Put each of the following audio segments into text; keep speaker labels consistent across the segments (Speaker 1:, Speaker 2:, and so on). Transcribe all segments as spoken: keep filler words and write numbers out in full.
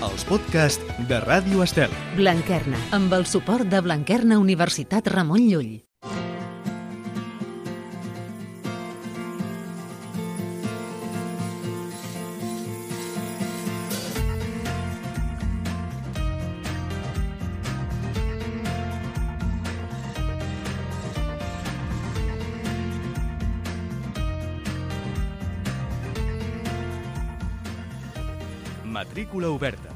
Speaker 1: els podcasts de Ràdio Estel.
Speaker 2: Blanquerna, amb el suport de Blanquerna Universitat Ramon Llull.
Speaker 1: Matrícula oberta.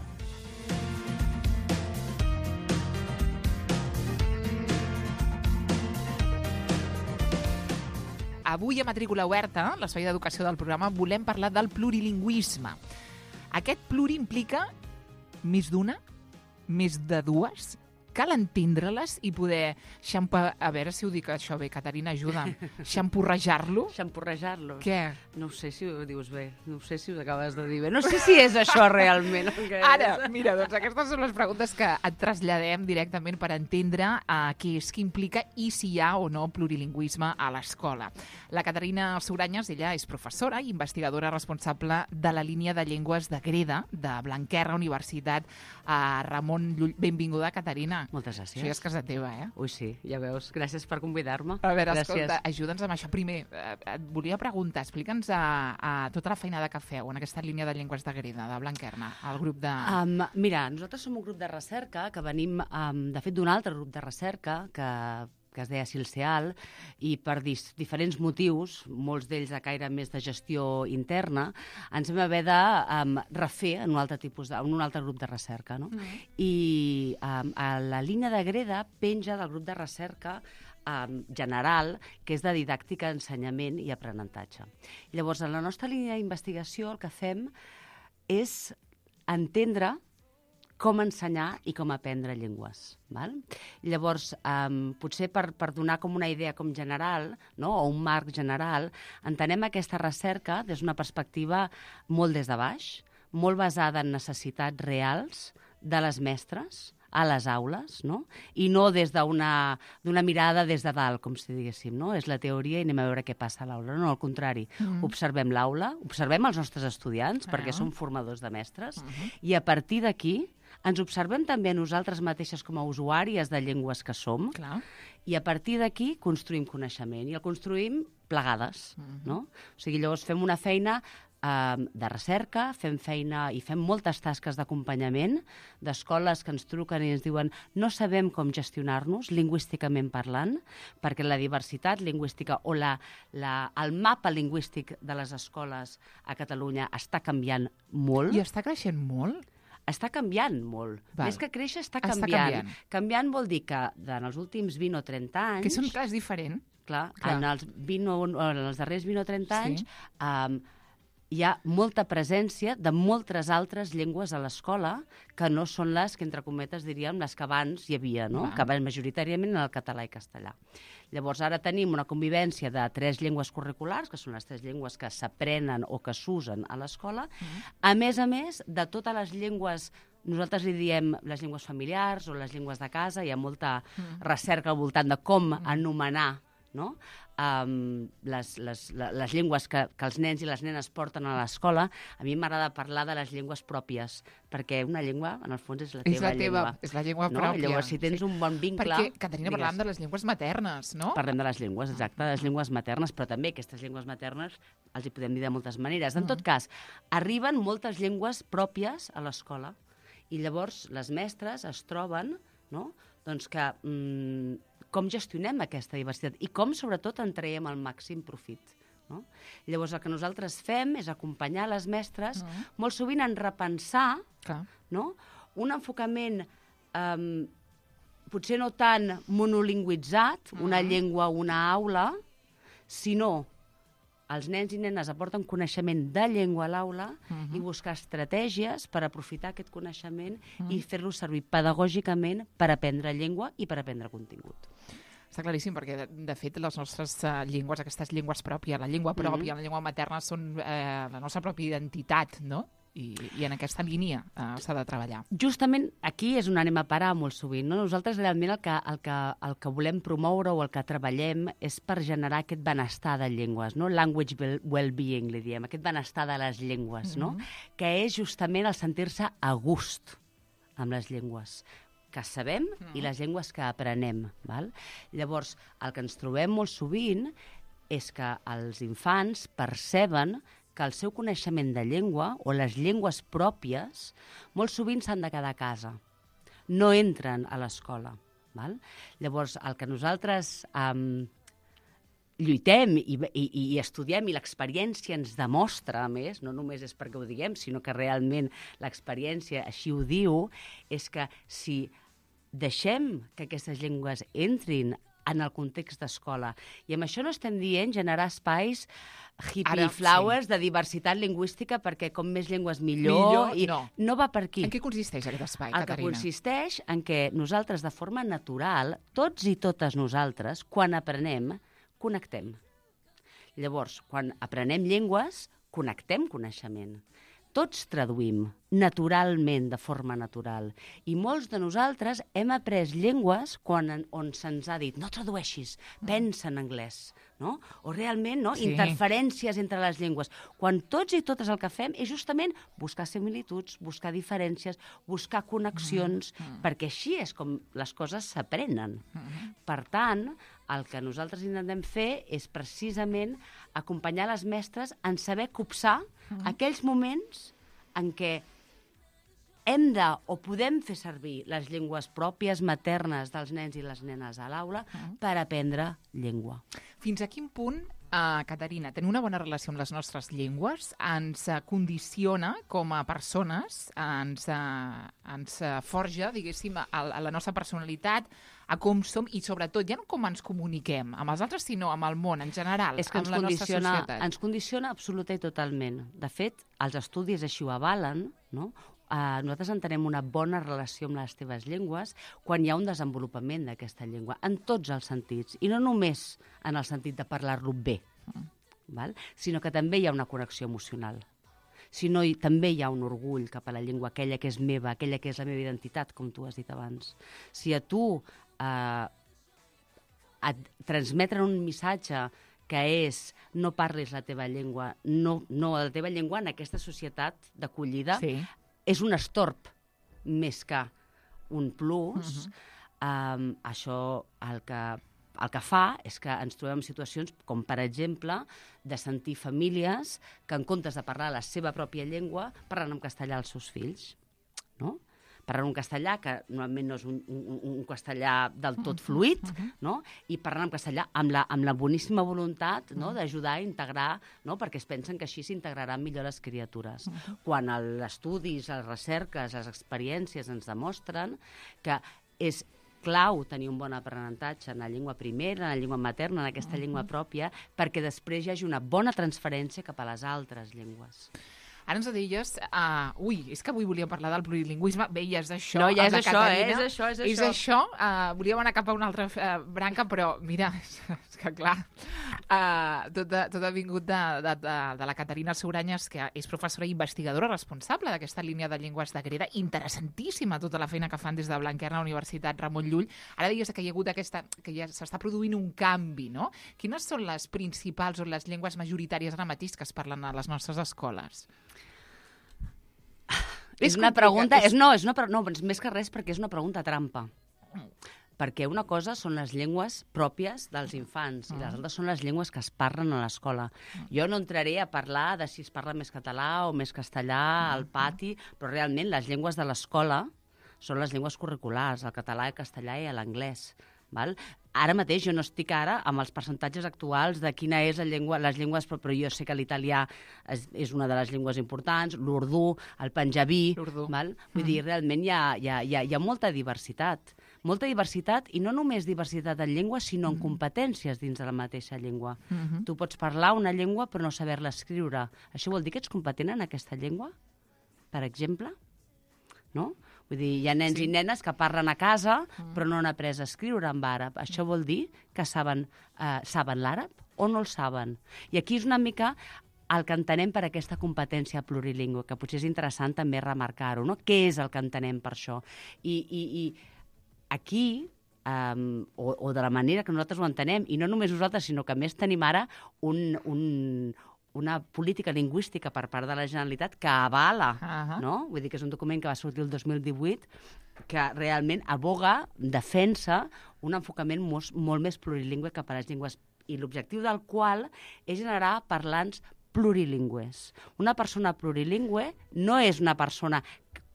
Speaker 3: Avui a Matrícula oberta, l'espai d'educació del programa, volem parlar del plurilingüisme. Aquest pluri implica més d'una, més de dues. Cal entendre-les i poder xampa... A veure si ho dic això bé, Caterina, ajuda'm. Xampurrejar-lo?
Speaker 4: Xampurrejar-lo?
Speaker 3: Què?
Speaker 4: No sé si ho dius bé, no sé si ho acabes de dir bé. No sé si és això realment. Que
Speaker 3: Ara, mira, doncs aquestes són les preguntes que et traslladem directament per entendre uh, què és, què implica i si hi ha o no plurilingüisme a l'escola. La Caterina Suranyes, ella és professora i investigadora responsable de la línia de llengües de Greda, de Blanquerna, Universitat uh, Ramon Llull. Benvinguda, Caterina.
Speaker 4: Moltes gràcies.
Speaker 3: Això ja és casa teva, eh?
Speaker 4: Ui, sí, ja veus. Gràcies per convidar-me.
Speaker 3: A veure,
Speaker 4: gràcies.
Speaker 3: escolta, ajuda'ns amb això. Primer, eh, et volia preguntar, explica'ns a, a tota la feinada que feu en aquesta línia de llengües de Greda, de Blanquerna, el grup de...
Speaker 4: Um, mira, nosaltres som un grup de recerca que venim, um, de fet, d'un altre grup de recerca que que es deia Silceal, i per dis, diferents motius, molts d'ells de caire més de gestió interna, ens vam haver de um, refer en un altre tipus de, en un altre grup de recerca. No? Mm. I um, a la línia de Greda penja del grup de recerca um, general, que és de didàctica, ensenyament i aprenentatge. Llavors, en la nostra línia d'investigació el que fem és entendre com ensenyar i com aprendre llengües. Val? Llavors, um, potser per, per donar com una idea com general, no? O un marc general, entenem aquesta recerca des d'una perspectiva molt des de baix, molt basada en necessitats reals de les mestres, a les aules, no? I no des d'una d'una mirada des de dalt, com si diguéssim, no? És la teoria i anem a veure què passa a l'aula. No, al contrari. Mm. Observem l'aula, observem els nostres estudiants, ah. perquè som formadors de mestres, uh -huh. i a partir d'aquí ens observem també a nosaltres mateixes com a usuàries de llengües que som,
Speaker 3: Clar.
Speaker 4: i a partir d'aquí construïm coneixement, i el construïm plegades, uh -huh. no? O sigui, llavors fem una feina de recerca, fem feina i fem moltes tasques d'acompanyament d'escoles que ens truquen i ens diuen no sabem com gestionar-nos lingüísticament parlant, perquè la diversitat lingüística o la, la, el mapa lingüístic de les escoles a Catalunya està canviant molt.
Speaker 3: I està creixent molt?
Speaker 4: Està canviant molt.
Speaker 3: Val.
Speaker 4: Més que créixer, està,
Speaker 3: està
Speaker 4: canviant.
Speaker 3: canviant.
Speaker 4: Canviant vol dir que en els últims vint o trenta anys...
Speaker 3: Que són, clar, és diferent.
Speaker 4: Clar,
Speaker 3: clar.
Speaker 4: En, els vint o, en els darrers vint o trenta anys...
Speaker 3: Sí.
Speaker 4: Um, hi ha molta presència de moltes altres llengües a l'escola que no són les que, entre cometes, diríem, les que abans hi havia, no?
Speaker 3: Va.
Speaker 4: Que van majoritàriament en el català i castellà. Llavors, ara tenim una convivència de tres llengües curriculars, que són les tres llengües que s'aprenen o que s'usen a l'escola, mm. a més a més de totes les llengües, nosaltres li diem les llengües familiars o les llengües de casa, hi ha molta mm. recerca al voltant de com mm. anomenar, no? Um, les, les, les llengües que, que els nens i les nenes porten a l'escola. A mi m'agrada parlar de les llengües pròpies, perquè una llengua, en el fons, és la teva,
Speaker 3: és la teva
Speaker 4: llengua.
Speaker 3: És la llengua
Speaker 4: no?
Speaker 3: pròpia.
Speaker 4: Llavors, si tens sí. un bon vincle...
Speaker 3: Perquè, Caterina, digues, parlàvem de les llengües maternes, no?
Speaker 4: Parlem de les llengües, exacte, de les llengües maternes, però també aquestes llengües maternes els hi podem dir de moltes maneres. En tot cas, arriben moltes llengües pròpies a l'escola i llavors les mestres es troben, no?, doncs que... Mm, com gestionem aquesta diversitat i com, sobretot, en traiem el màxim profit. No? Llavors, el que nosaltres fem és acompanyar les mestres, uh-huh. molt sovint en repensar no? un enfocament um, potser no tan monolingüitzat, uh-huh. una llengua, una aula, sinó els nens i nenes aporten coneixement de llengua a l'aula uh-huh. i buscar estratègies per aprofitar aquest coneixement uh-huh. i fer-lo servir pedagògicament per aprendre llengua i per aprendre contingut.
Speaker 3: Està claríssim, perquè, de, de fet, les nostres uh, llengües, aquestes llengües pròpies, la llengua pròpia, mm-hmm. la llengua materna, són eh, la nostra pròpia identitat, no? i, i en aquesta línia uh, s'ha de treballar.
Speaker 4: Justament aquí és on anem a parar molt sovint. No? Nosaltres realment el que, el, que, el que volem promoure o el que treballem és per generar aquest benestar de llengües, no? Language well-being, li diem, aquest benestar de les llengües, no? Mm-hmm. Que és justament el sentir-se a gust amb les llengües que sabem mm-hmm. i les llengües que aprenem. Val? Llavors, el que ens trobem molt sovint és que els infants perceben que el seu coneixement de llengua o les llengües pròpies molt sovint s'han de quedar a casa. No entren a l'escola. Val? Llavors, el que nosaltres um, lluitem i, i, i estudiem i l'experiència ens demostra, a més, no només és perquè ho diguem, sinó que realment l'experiència així ho diu, és que si deixem que aquestes llengües entrin en el context d'escola. I amb això no estem dient generar espais hippie Ara, flowers sí. de diversitat lingüística perquè com més llengües millor.
Speaker 3: millor
Speaker 4: i
Speaker 3: no.
Speaker 4: no va per aquí.
Speaker 3: En què consisteix aquest espai,
Speaker 4: el
Speaker 3: Caterina?
Speaker 4: El que consisteix en què nosaltres, de forma natural, tots i totes nosaltres, quan aprenem, connectem. Llavors, quan aprenem llengües, connectem coneixement. Tots traduïm naturalment, de forma natural. I molts de nosaltres hem après llengües quan, on se'ns ha dit no tradueixis, pensa en anglès. No? O realment no? sí. interferències entre les llengües. Quan tots i totes el que fem és justament buscar similituds, buscar diferències, buscar connexions, mm. perquè així és com les coses s'aprenen. Mm. Per tant, el que nosaltres intentem fer és precisament acompanyar les mestres en saber copsar mm. aquells moments en què hem de o podem fer servir les llengües pròpies maternes dels nens i les nenes a l'aula mm. per aprendre llengua.
Speaker 3: Fins a quin punt, uh, Caterina, tenir una bona relació amb les nostres llengües ens uh, condiciona com a persones, uh, ens, uh, ens uh, forja, diguéssim, a, a la nostra personalitat, a com som i, sobretot, ja no com ens comuniquem amb els altres, sinó amb el món en general,
Speaker 4: és que
Speaker 3: amb la nostra societat.
Speaker 4: Ens condiciona absoluta i totalment. De fet, els estudis així ho avalen, no? Uh, nosaltres entenem una bona relació amb les teves llengües quan hi ha un desenvolupament d'aquesta llengua, en tots els sentits, i no només en el sentit de parlar-lo bé, mm. val? Sinó que també hi ha una connexió emocional. Sinó hi, també hi ha un orgull cap a la llengua, aquella que és meva, aquella que és la meva identitat, com tu has dit abans. Si a tu uh, et transmeten un missatge que és no parlis la teva llengua, no, no la teva llengua en aquesta societat d'acollida, sí. és un estorb més que un plus. Uh-huh. um, això el que, el que fa és que ens trobem en situacions com, per exemple, de sentir famílies que en comptes de parlar la seva pròpia llengua parlen en castellà als seus fills, no? Parlant un castellà que normalment no és un, un, un castellà del tot fluid, uh-huh. no? I parlant en castellà amb la, amb la boníssima voluntat, no? d'ajudar a integrar, no? perquè es pensen que així s'integraran millor les criatures. Uh-huh. Quan els estudis, les recerques, les experiències ens demostren que és clau tenir un bon aprenentatge en la llengua primera, en la llengua materna, en aquesta uh-huh. llengua pròpia, perquè després hi hagi una bona transferència cap a les altres llengües.
Speaker 3: Ara ens deies, uh, ui, és que avui volíem parlar del plurilingüisme, bé, ja és això.
Speaker 4: No, ja és això,
Speaker 3: Caterina.
Speaker 4: eh? És això, és això.
Speaker 3: És això, uh, volíem anar cap a una altra uh, branca, però mira, és que clar, uh, tot, ha, tot ha vingut de, de, de, de la Caterina Souranyes, que és professora i investigadora responsable d'aquesta línia de llengües de Greda, interessantíssima tota la feina que fan des de Blanquerna, Universitat Ramon Llull. Ara deies que hi ha hagut aquesta, que ja s'està produint un canvi, no? Quines són les principals o les llengües majoritàries ara mateix que es parlen a les nostres escoles?
Speaker 4: És una pregunta, és... És, no, és una, no, més que res perquè és una pregunta trampa. Perquè una cosa són les llengües pròpies dels infants i les altres són les llengües que es parlen a l'escola. Jo no entraré a parlar de si es parla més català o més castellà al pati, però realment les llengües de l'escola són les llengües curriculars, el català, el castellà i l'anglès. Val? Ara mateix jo no estic ara amb els percentatges actuals de quina és la llengua, les llengües, però, però jo sé que l'italià és, és una de les llengües importants, l'urdú, el panjabí, val? Vull mm. dir, realment hi ha, hi, ha, hi, ha, hi ha molta diversitat. Molta diversitat, i no només diversitat en llengua, sinó en competències dins de la mateixa llengua. Mm-hmm. Tu pots parlar una llengua però no saber-la escriure. Això vol dir que ets competent en aquesta llengua, per exemple? No? Vull dir, hi ha nens sí. i nenes que parlen a casa mm. però no han après a escriure en àrab. Això vol dir que saben, eh, saben l'àrab o no el saben. I aquí és una mica el que entenem per aquesta competència plurilingüe, que potser és interessant també remarcar-ho, no? Què és el que entenem per això? I, i, i aquí, um, o, o de la manera que nosaltres ho entenem, i no només nosaltres, sinó que a més tenim ara un, un, una política lingüística per part de la Generalitat que avala,
Speaker 3: Uh-huh.
Speaker 4: no? Vull dir que és un document que va sortir el dos mil divuit que realment aboga, defensa un enfocament molt, molt més plurilingüe cap a les llengües, i l'objectiu del qual és generar parlants plurilingües. Una persona plurilingüe no és una persona,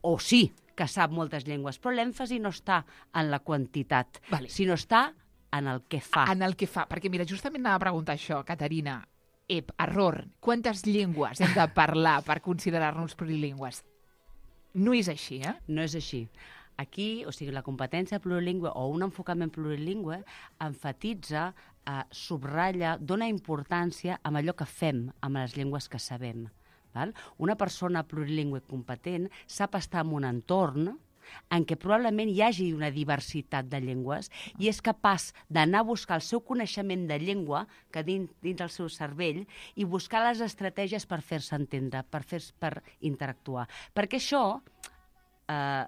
Speaker 4: o sí, que sap moltes llengües, però l'èmfasi no està en la quantitat,
Speaker 3: Vale.
Speaker 4: sinó està en el que fa.
Speaker 3: En el que fa, perquè mira, justament anava a preguntar això, Caterina. Ep, error. Quantes llengües hem de parlar per considerar-nos plurilingües? No és així, eh?
Speaker 4: No és així. Aquí, o sigui, la competència plurilingüe o un enfocament plurilingüe enfatitza, eh, subratlla, dona importància a allò que fem amb les llengües que sabem. Val? Una persona plurilingüe competent sap estar en un entorn en què probablement hi hagi una diversitat de llengües i és capaç d'anar a buscar el seu coneixement de llengua que dins, dins del seu cervell i buscar les estratègies per fer-se entendre, per, fer, per interactuar. Perquè això eh,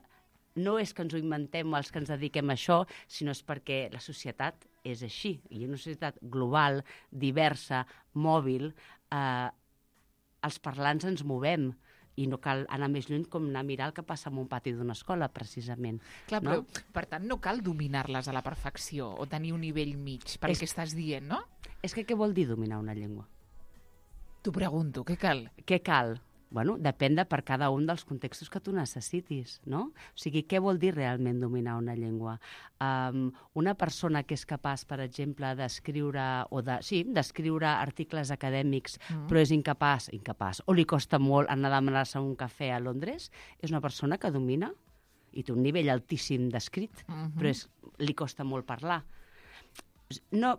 Speaker 4: no és que ens ho inventem els que ens dediquem a això, sinó és perquè la societat és així. I una societat global, diversa, mòbil, eh, els parlants ens movem, i no cal anar més lluny com anar a mirar el que passa en un pati d'una escola, precisament.
Speaker 3: Clar,
Speaker 4: no?
Speaker 3: però, per tant, no cal dominar-les a la perfecció o tenir un nivell mig, pel
Speaker 4: És-
Speaker 3: que estàs dient, no?
Speaker 4: És que què vol dir dominar una llengua?
Speaker 3: T'ho pregunto, què cal?
Speaker 4: Què cal? Bueno, depèn de per cada un dels contextos que tu necessitis, no? O sigui, què vol dir realment dominar una llengua? Um, una persona que és capaç, per exemple, d'escriure, o de, sí, d'escriure articles acadèmics,
Speaker 3: Mm.
Speaker 4: però és incapaç, incapaç, o li costa molt anar a demanar-se un cafè a Londres, és una persona que domina i té un nivell altíssim d'escrit,
Speaker 3: Mhm.
Speaker 4: però és, li costa molt parlar. No,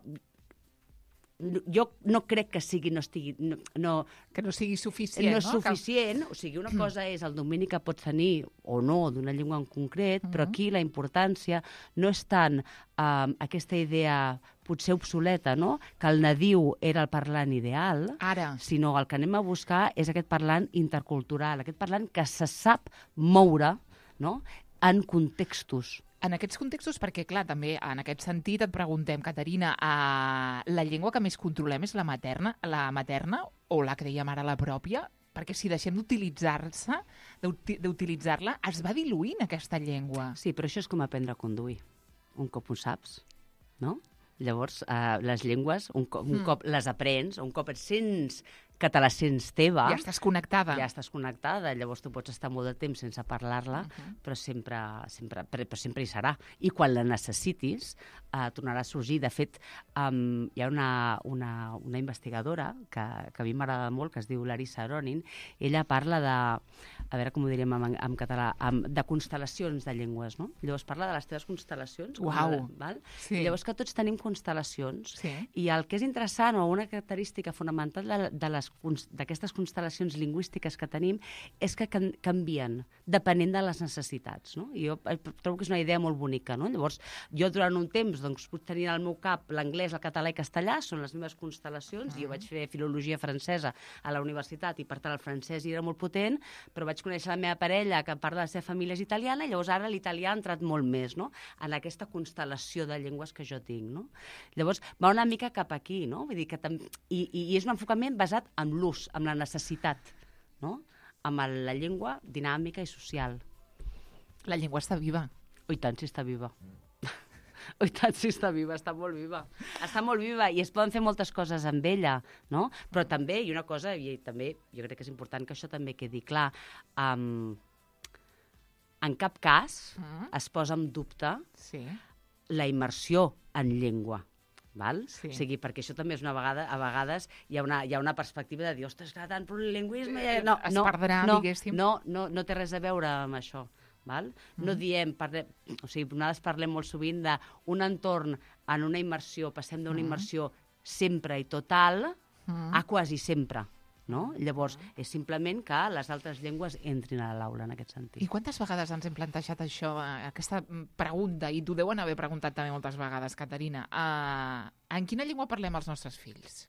Speaker 4: jo no crec que sigui, no estigui, no, no,
Speaker 3: Que no sigui suficient,
Speaker 4: no és
Speaker 3: no?
Speaker 4: suficient, o sigui, una cosa és el domini que pots tenir o no d'una llengua en concret, però aquí la importància no és tant um, aquesta idea potser obsoleta, no?, que el nadiu era el parlant ideal,
Speaker 3: Que... Ara,
Speaker 4: sinó el que anem a buscar és aquest parlant intercultural, aquest parlant que se sap moure, no?, en contextos.
Speaker 3: en aquests contextos, perquè, clar, també en aquest sentit et preguntem, Caterina, uh, la llengua que més controlem és la materna, la materna o la que dèiem ara, la pròpia? Perquè si deixem d'utilitzar-se, d'uti- d'utilitzar-la, es va diluint aquesta llengua.
Speaker 4: Sí, però això és com aprendre a conduir. Un cop ho saps, no? Llavors, eh, les llengües, un cop, un
Speaker 3: Mm.
Speaker 4: cop les aprens, un cop et sents que te la sents teva,
Speaker 3: Ja estàs connectada.
Speaker 4: ja estàs connectada, llavors tu pots estar molt de temps sense parlar-la,
Speaker 3: Mhm.
Speaker 4: però, sempre, sempre, però, però sempre hi serà. I quan la necessitis, eh, tornarà a sorgir. De fet, um, hi ha una, una, una investigadora que, que a mi m'agrada molt, que es diu Larissa Aronin. Ella parla de, a veure com ho diríem en, en català, um, de constel·lacions de llengües, no? Llavors parla de les teves constel·lacions. com
Speaker 3: Uau.
Speaker 4: la- val?
Speaker 3: Sí.
Speaker 4: Llavors que tots tenim constel·lacions,
Speaker 3: Sí.
Speaker 4: i el que és interessant, o una característica fonamental de, de les cons- d'aquestes constel·lacions lingüístiques que tenim, és que can, canvien depenent de les necessitats, no? I jo eh, trobo que és una idea molt bonica, no? Llavors, jo durant un temps doncs, puc tenir al meu cap l'anglès, el català i castellà, són les meves constel·lacions, i jo vaig fer filologia francesa a la universitat, i per tant el francès hi era molt potent, però vaig conèixer la meva parella, que part de la seva família és italiana, i llavors ara l'italià ha entrat molt més, no?, en aquesta constel·lació de llengües que jo tinc, no? Llavors, va una mica cap aquí, no? Vull dir que tam... I, I és un enfocament basat en l'ús, en la necessitat, no?, amb el- la llengua dinàmica i social.
Speaker 3: La llengua està viva.
Speaker 4: Oh, i tant, si està viva. Oh, i tant, si està viva, està molt viva. Està molt viva i es poden fer moltes coses amb ella, no? Però també, i una cosa, i també jo crec que és important que això també quedi clar, um, en cap cas
Speaker 3: Mm.
Speaker 4: es posa en dubte
Speaker 3: Sí.
Speaker 4: la immersió en llengua. Val?
Speaker 3: Sí.
Speaker 4: O sigui, perquè això també és una vegada, a vegades hi ha una, hi ha una perspectiva de dir, ostres, clar, tant plurilingüisme...
Speaker 3: Eh,
Speaker 4: No,
Speaker 3: es
Speaker 4: no,
Speaker 3: perdrà,
Speaker 4: no,
Speaker 3: diguéssim.
Speaker 4: no, no, no té res a veure amb això. Val? No diem, parlem, o sigui, nosaltres parlem molt sovint d'un entorn en una immersió, passem d'una immersió sempre i total
Speaker 3: Mm.
Speaker 4: a quasi sempre. No? Llavors, és simplement que les altres llengües entrin a l'aula en aquest sentit.
Speaker 3: I quantes vegades ens hem plantejat això, eh, aquesta mm, pregunta, i t'ho deuen haver preguntat també moltes vegades, Caterina, uh, en quina llengua parlem els nostres fills?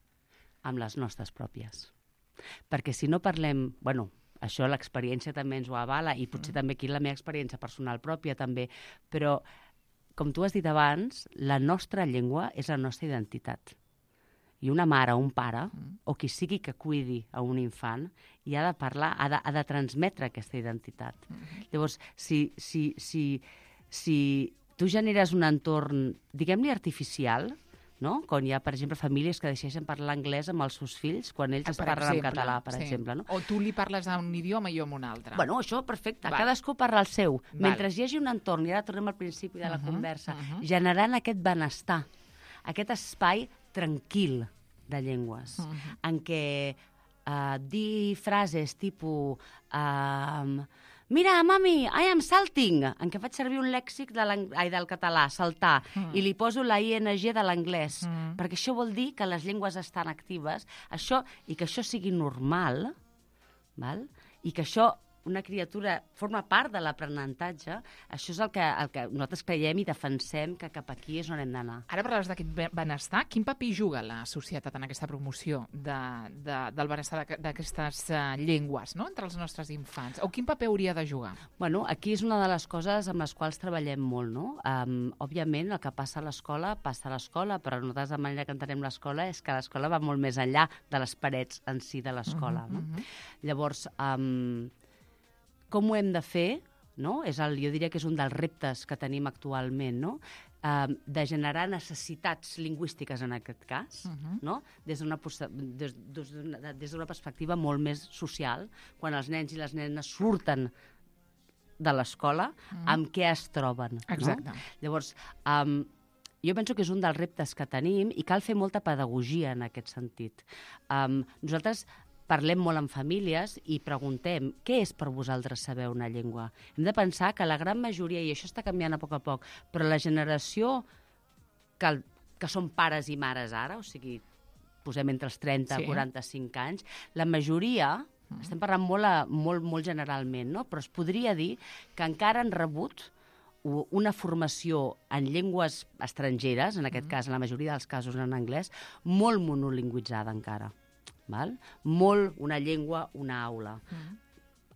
Speaker 4: Amb les nostres pròpies. Perquè si no parlem... Bueno, això l'experiència també ens ho avala i potser
Speaker 3: Mm.
Speaker 4: també aquí la meva experiència personal pròpia també, però com tu has dit abans, la nostra llengua és la nostra identitat. I una mare o un pare,
Speaker 3: Mm.
Speaker 4: o qui sigui que cuidi a un infant, i ha de parlar, ha de, ha de transmetre aquesta identitat.
Speaker 3: Mm.
Speaker 4: Llavors, si, si, si, si tu generes un entorn, diguem-li artificial, no? Quan hi ha, per exemple, famílies que decideixen parlar anglès amb els seus fills quan ells es
Speaker 3: Per
Speaker 4: parlen en
Speaker 3: exemple,
Speaker 4: català, per
Speaker 3: sí.
Speaker 4: exemple. No?
Speaker 3: O tu li parles a un idioma i jo a un altre.
Speaker 4: Bueno, això, perfecte.
Speaker 3: Val.
Speaker 4: Cadascú parla el seu.
Speaker 3: Val.
Speaker 4: Mentre hi hagi un entorn, i ara tornem al principi de la
Speaker 3: Mhm,
Speaker 4: conversa,
Speaker 3: mhm.
Speaker 4: generant aquest benestar, aquest espai tranquil de llengües,
Speaker 3: Mhm.
Speaker 4: en què uh, dir frases tipus... Uh, Mira, mami, I am salting, en què faig servir un lèxic de ai, del català, saltar,
Speaker 3: Mm.
Speaker 4: i li poso la I N G de l'anglès,
Speaker 3: Mm.
Speaker 4: perquè això vol dir que les llengües estan actives, això i que això sigui normal, val? I que això, una criatura, forma part de l'aprenentatge, això és el que, el que nosaltres creiem i defensem que cap aquí és on hem d'anar.
Speaker 3: Ara parlaves d'aquest be- benestar. Quin paper juga la societat en aquesta promoció de, de, del benestar d'aqu- d'aquestes uh, llengües, no?, entre els nostres infants? O quin paper hauria de jugar?
Speaker 4: Bueno, aquí és una de les coses amb les quals treballem molt, no? Um, òbviament, el que passa a l'escola, passa a l'escola, però nosaltres la manera que entenem l'escola és que l'escola va molt més enllà de les parets en si de l'escola,
Speaker 3: Mhm,
Speaker 4: no?
Speaker 3: mhm.
Speaker 4: Llavors, um, com ho hem de fer, no? És el, jo diria que és un dels reptes que tenim actualment, no? Um, de generar necessitats lingüístiques en aquest cas,
Speaker 3: Mhm.
Speaker 4: no? Des d'una pos- des, des d'una des d'una perspectiva molt més social, quan els nens i les nenes surten de l'escola,
Speaker 3: Mhm.
Speaker 4: amb què es troben.
Speaker 3: Exacte.
Speaker 4: No? Llavors, um, jo penso que és un dels reptes que tenim i cal fer molta pedagogia en aquest sentit. Um, nosaltres parlem molt amb famílies i preguntem què és per vosaltres saber una llengua. Hem de pensar que la gran majoria, i això està canviant a poc a poc, però la generació que, el- que són pares i mares ara, o sigui, posem entre els trenta
Speaker 3: Sí.
Speaker 4: i quaranta-cinc anys, la majoria, estem parlant molt, a, molt, molt generalment, no? Però es podria dir que encara han rebut u- una formació en llengües estrangeres, en aquest cas, en la majoria dels casos en anglès, molt monolingüitzada encara. Val? Molt una llengua, una aula.
Speaker 3: Mhm.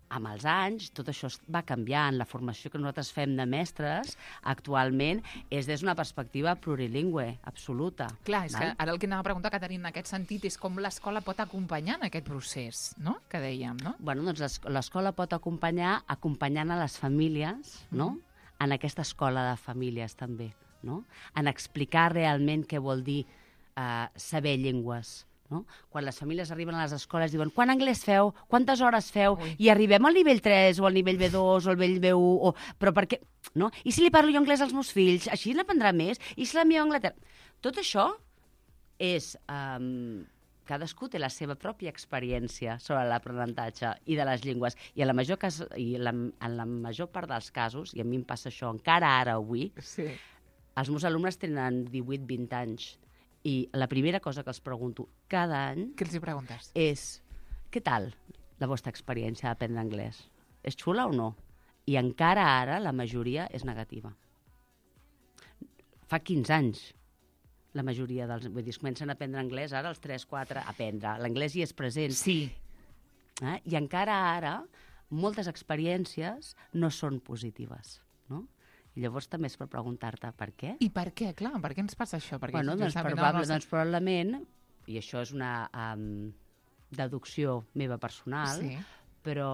Speaker 4: Amb els anys, tot això es- va canviant. La formació que nosaltres fem de mestres actualment és des d'una perspectiva plurilingüe, absoluta.
Speaker 3: Clar, és
Speaker 4: val?
Speaker 3: que ara el que anava a preguntar, Caterina, en aquest sentit, és com l'escola pot acompanyar en aquest procés, no?, que dèiem, no?
Speaker 4: Bueno, doncs l'es- l'escola pot acompanyar acompanyant a les famílies, no?, en aquesta escola de famílies també, no?, en explicar realment què vol dir eh, saber llengües. No? Quan les famílies arriben a les escoles diuen quant anglès feu, quantes hores feu,
Speaker 3: Ui.
Speaker 4: i arribem al nivell tres o al nivell B dos o al nivell B u, o... però per què? No? I si li parlo jo anglès als meus fills, així n'aprendrà més? I si la meva Anglaterra... Tot això és... Um, cadascú té la seva pròpia experiència sobre l'aprenentatge i de les llengües. I, en la major cas, i la, en la major part dels casos, i a mi em passa això encara ara avui,
Speaker 3: Sí.
Speaker 4: els meus alumnes tenen divuit vint anys. I la primera cosa que els pregunto cada any
Speaker 3: Què els hi preguntes?
Speaker 4: és què tal la vostra experiència d'aprendre anglès? És xula o no? I encara ara la majoria és negativa. Fa quinze anys la majoria dels... Vull dir, es comencen a aprendre anglès ara als tres quatre, aprendre. L'anglès hi és present.
Speaker 3: Sí.
Speaker 4: Eh? I encara ara moltes experiències no són positives, no? I llavors també és per preguntar-te per què.
Speaker 3: I per què? Clar, per què ens passa això? Perquè
Speaker 4: Bueno, doncs,
Speaker 3: justament
Speaker 4: probable,
Speaker 3: el nostre-
Speaker 4: doncs probablement, i això és una um, deducció meva personal,
Speaker 3: Sí.
Speaker 4: però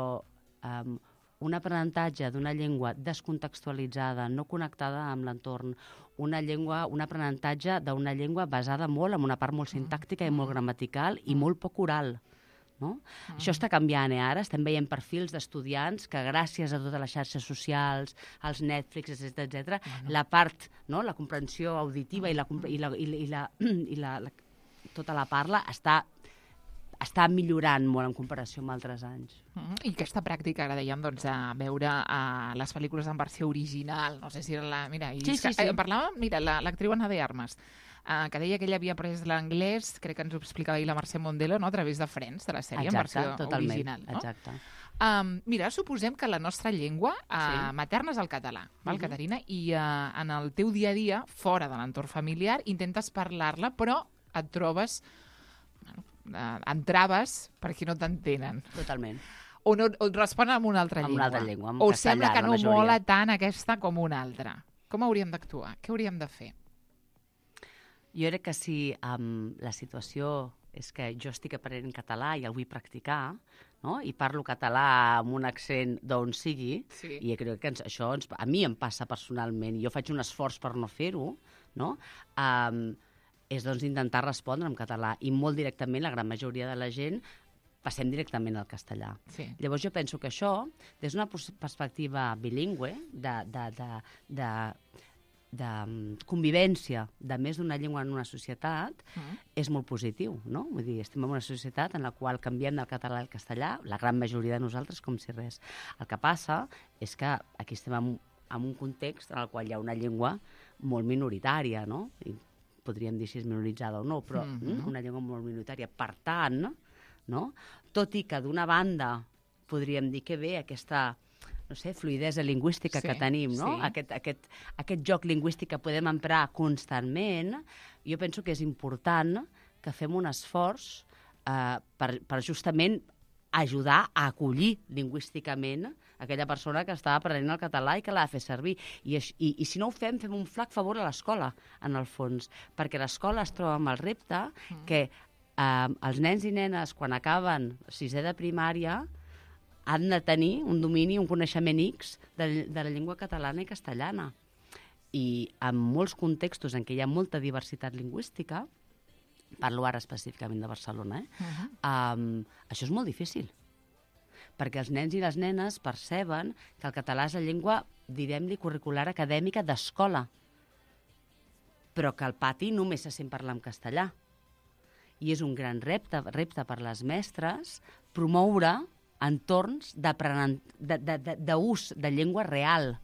Speaker 4: um, un aprenentatge d'una llengua descontextualitzada, no connectada amb l'entorn, una llengua, un aprenentatge d'una llengua basada molt en una part molt sintàctica i molt gramatical i molt poc oral. No? Mm. Això està canviant, eh, ara. Estem veient perfils d'estudiants que gràcies a totes les xarxes socials, als Netflix, etcètera, etcètera, bueno. la part, no? la comprensió auditiva i, la, i, la, i, la, i, la, i la, la, tota la parla està està millorant molt en comparació amb altres anys.
Speaker 3: Mm, I aquesta pràctica, ara dèiem, doncs, de veure uh, les pel·lícules en versió original, no sé si era la... Mira, i
Speaker 4: Sí, sí,
Speaker 3: que,
Speaker 4: sí.
Speaker 3: Eh, parlàvem, mira, l'actriu la, Ana de Armas, uh, que deia que ella havia après l'anglès, crec que ens ho explicava ahir la Mercè Mondelo, no?, a través de Friends, de la sèrie,
Speaker 4: Exacte,
Speaker 3: en versió
Speaker 4: totalment,
Speaker 3: original. No?
Speaker 4: exacte.
Speaker 3: Um, mira, suposem que la nostra llengua uh,
Speaker 4: Sí.
Speaker 3: materna és el català, val,
Speaker 4: Mhm.
Speaker 3: Caterina? I uh, en el teu dia a dia, fora de l'entorn familiar, intentes parlar-la, però et trobes bueno, eh, entraves perquè no t'entenen.
Speaker 4: Totalment.
Speaker 3: O, no, o et responen amb una altra
Speaker 4: Amb
Speaker 3: llengua.
Speaker 4: una altra llengua, amb
Speaker 3: o
Speaker 4: castellà,
Speaker 3: sembla que
Speaker 4: la
Speaker 3: no
Speaker 4: majoria.
Speaker 3: mola tant aquesta com una altra. Com hauríem d'actuar? Què hauríem de fer?
Speaker 4: Jo crec que si um, la situació és que jo estic aprenent català i el vull practicar, no? I parlo català amb un accent d'on sigui,
Speaker 3: Sí.
Speaker 4: i crec que ens, això ens, a mi em passa personalment, i jo faig un esforç per no fer-ho, no? Um, és doncs intentar respondre en català, i molt directament la gran majoria de la gent passem directament al castellà.
Speaker 3: Sí.
Speaker 4: Llavors jo penso que això, des d'una perspectiva bilingüe, de, de, de, de, de convivència de més d'una llengua en una societat,
Speaker 3: Mm.
Speaker 4: és molt positiu, no? Vull dir, estem en una societat en la qual canviem del català al castellà, la gran majoria de nosaltres com si res. El que passa és que aquí estem en, en un context en el qual hi ha una llengua molt minoritària, no? I podríem dir si és minoritzada o no, però
Speaker 3: Mhm.
Speaker 4: una llengua molt minoritària. Per tant, no? Tot i que d'una banda podríem dir que bé aquesta, no sé, fluïdesa lingüística
Speaker 3: Sí,
Speaker 4: que tenim, no?
Speaker 3: sí.
Speaker 4: Aquest, aquest, aquest joc lingüístic que podem emprar constantment, jo penso que és important que fem un esforç eh, per, per justament ajudar a acollir lingüísticament aquella persona que està aprenent el català i que l'ha de fer servir. I, aix- i, I si no ho fem, fem un flac favor a l'escola, en el fons, perquè l'escola es troba amb el repte que eh, els nens i nenes, quan acaben sisè de primària, han de tenir un domini, un coneixement X de, de la llengua catalana i castellana. I en molts contextos en què hi ha molta diversitat lingüística, parlo ara específicament de Barcelona, eh?
Speaker 3: Uh-huh.
Speaker 4: um, això és molt difícil, perquè els nens i les nenes perceben que el català és la llengua, direm-li, curricular acadèmica d'escola, però que al pati només se sent parlar en castellà. I és un gran repte, repte per les mestres promoure entorns d'aprenent- de- de- de- d'ús de llengua real,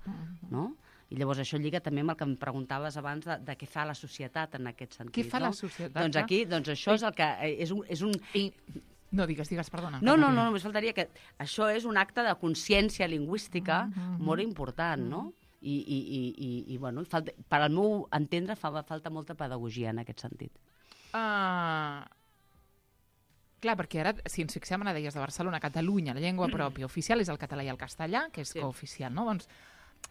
Speaker 4: no? I llavors això lliga també amb el que em preguntaves abans de, de què fa la societat en aquest sentit.
Speaker 3: Què fa
Speaker 4: no?
Speaker 3: la societat?
Speaker 4: Doncs aquí, doncs això és el que eh, és un, és un
Speaker 3: I... No, digues, digues, perdona.
Speaker 4: no, no,
Speaker 3: Caterina.
Speaker 4: no, només faltaria que això és un acte de consciència lingüística
Speaker 3: Mm-hmm.
Speaker 4: molt important, no? I, i, i, i, i bueno, falta, per al meu entendre fa, falta molta pedagogia en aquest sentit.
Speaker 3: Uh... Clar, perquè ara, si ens fixem en la deies de Barcelona, Catalunya, la llengua pròpia oficial és el català i el castellà, que és
Speaker 4: Sí.
Speaker 3: cooficial, no? Doncs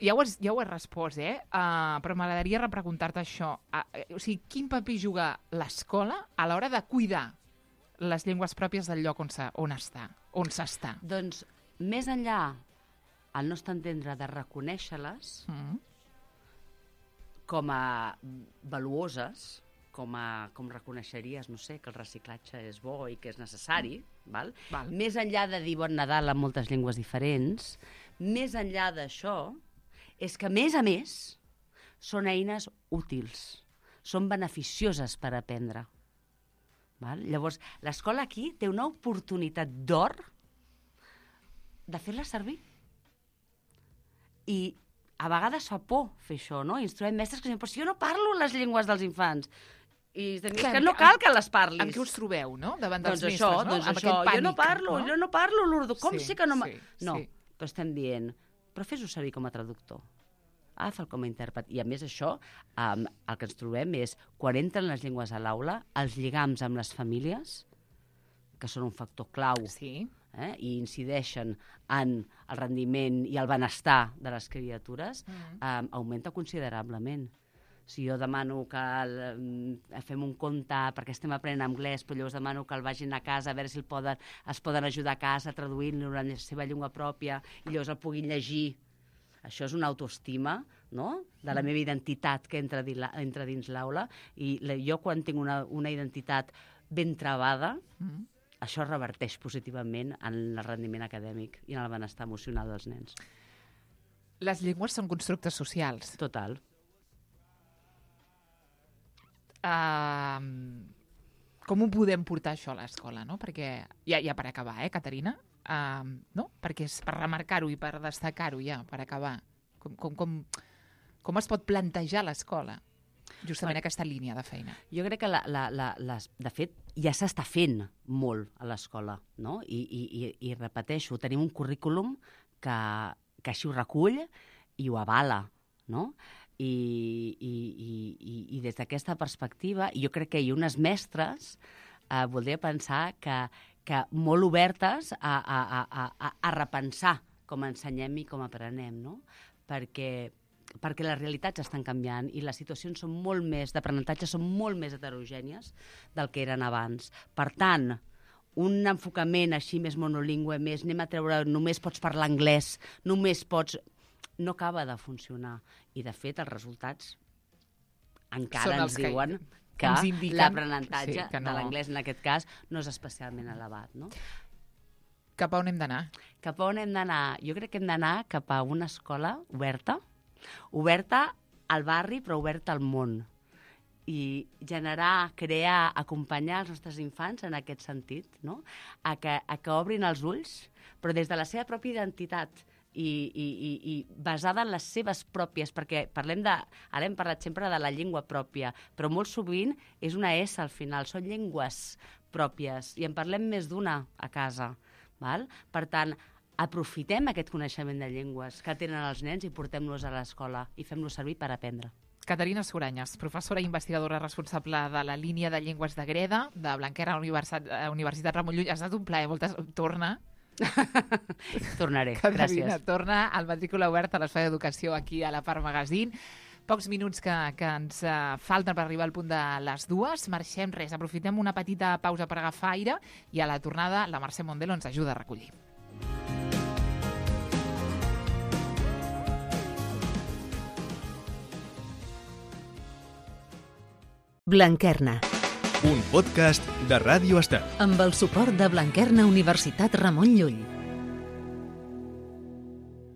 Speaker 3: ja ho has, ja ho has respost, eh? Uh, però m'agradaria repreguntar-te això. Uh, o sigui, quin paper juga l'escola a l'hora de cuidar les llengües pròpies del lloc on, se, on està, on s'està?
Speaker 4: Doncs, més enllà, al nostre entendre, de reconèixer-les
Speaker 3: Mm.
Speaker 4: com a valuoses, com, a, com reconeixeries, no sé, que el reciclatge és bo i que és necessari, val?
Speaker 3: Val.
Speaker 4: Més enllà de dir bon Nadal en moltes llengües diferents, més enllà d'això, és que, a més a més, són eines útils, són beneficioses per aprendre. Val? Llavors, l'escola aquí té una oportunitat d'or de fer-la servir. I a vegades fa por fer això, no? I ens trobem mestres que diuen, però si jo no parlo les llengües dels infants. I tenim,
Speaker 3: Clar,
Speaker 4: és que no
Speaker 3: en-
Speaker 4: cal que les parlis.
Speaker 3: Amb què us trobeu, no?, davant dels
Speaker 4: Doncs
Speaker 3: mestres,
Speaker 4: això,
Speaker 3: no?
Speaker 4: doncs
Speaker 3: Amb
Speaker 4: això,
Speaker 3: aquest
Speaker 4: jo no
Speaker 3: pànic,
Speaker 4: parlo,
Speaker 3: no?
Speaker 4: jo no parlo l'urdu, com
Speaker 3: Sí,
Speaker 4: sé que no...
Speaker 3: sí,
Speaker 4: no,
Speaker 3: sí.
Speaker 4: però estem dient, però fes-ho servir com a traductor. Agafa'l com a intèrpret. I a més això, um, el que ens trobem és, quan entren les llengües a l'aula, els lligams amb les famílies, que són un factor clau,
Speaker 3: Sí.
Speaker 4: eh, i incideixen en el rendiment i el benestar de les criatures,
Speaker 3: Mm.
Speaker 4: um, augmenta considerablement. Si jo demano que el, eh, fem un conte perquè estem aprenent anglès, però llavors demano que el vagin a casa a veure si el poden, es poden ajudar a casa traduint-lo en la seva llengua pròpia i llavors el puguin llegir. Això és una autoestima, no?, de la meva identitat que entra, di- entra dins l'aula. I la, jo, quan tinc una, una identitat ben travada,
Speaker 3: Mm.
Speaker 4: això reverteix positivament en el rendiment acadèmic i en el benestar emocional dels nens.
Speaker 3: Les llengües són constructes socials.
Speaker 4: Total.
Speaker 3: Uh, com ho podem portar això a l'escola, no? Perquè, ja, ja per acabar, eh, Caterina? Uh, no? Perquè és per remarcar-ho i per destacar-ho ja, per acabar. Com, com, com, com es pot plantejar l'escola? Justament
Speaker 4: Bueno,
Speaker 3: aquesta línia de feina.
Speaker 4: Jo crec que, la, la, la, les, de fet, ja s'està fent molt a l'escola, no? I, i, i, i repeteixo, tenim un currículum que, que així ho recull i ho avala, no? I, i, i, i, i des d'aquesta perspectiva, jo crec que hi ha unes mestres eh, voldria pensar que, que molt obertes a, a, a, a, a repensar com ensenyem i com aprenem, no? Perquè, perquè les realitats estan canviant i les situacions són molt més d'aprenentatge, són molt més heterogènies del que eren abans. Per tant, un enfocament així més monolingüe, més anem a treure, només pots parlar anglès, només pots... no acaba de funcionar. I, de fet, els resultats encara
Speaker 3: Són
Speaker 4: ens
Speaker 3: els que-
Speaker 4: diuen
Speaker 3: que
Speaker 4: que
Speaker 3: ens indiquen,
Speaker 4: l'aprenentatge
Speaker 3: sí, que no.
Speaker 4: de l'anglès, en aquest cas, no és especialment elevat, no?
Speaker 3: Cap a on hem d'anar?
Speaker 4: Cap a on hem d'anar? Jo crec que hem d'anar cap a una escola oberta, oberta al barri, però oberta al món. I generar, crear, acompanyar els nostres infants en aquest sentit, no? A que, a que obrin els ulls, però des de la seva pròpia identitat i, i, i, i basada en les seves pròpies, perquè parlem de, ara hem parlat sempre de la llengua pròpia, però molt sovint és una S al final, són llengües pròpies, i en parlem més d'una a casa. Val? Per tant, aprofitem aquest coneixement de llengües que tenen els nens i portem-los a l'escola i fem-los servir per aprendre.
Speaker 3: Caterina Suranyes, professora i investigadora responsable de la línia de llengües de Greda, de Blanquerna Universitat, Universitat Ramon Llull. Ha estat un plaer, moltes... Torna.
Speaker 4: Tornaré,
Speaker 3: Caterina,
Speaker 4: gràcies.
Speaker 3: torna al Matrícula Oberta a l'Espai d'Educació aquí a la Part Magazine. Pocs minuts que, que ens uh, falten per arribar al punt de les dues. Marxem res, aprofitem una petita pausa per agafar aire i a la tornada la Mercè Mondelo ens ajuda a recollir.
Speaker 2: Blanquerna,
Speaker 1: Un podcast de Ràdio Estel.
Speaker 2: amb el suport de Blanquerna Universitat Ramon Llull.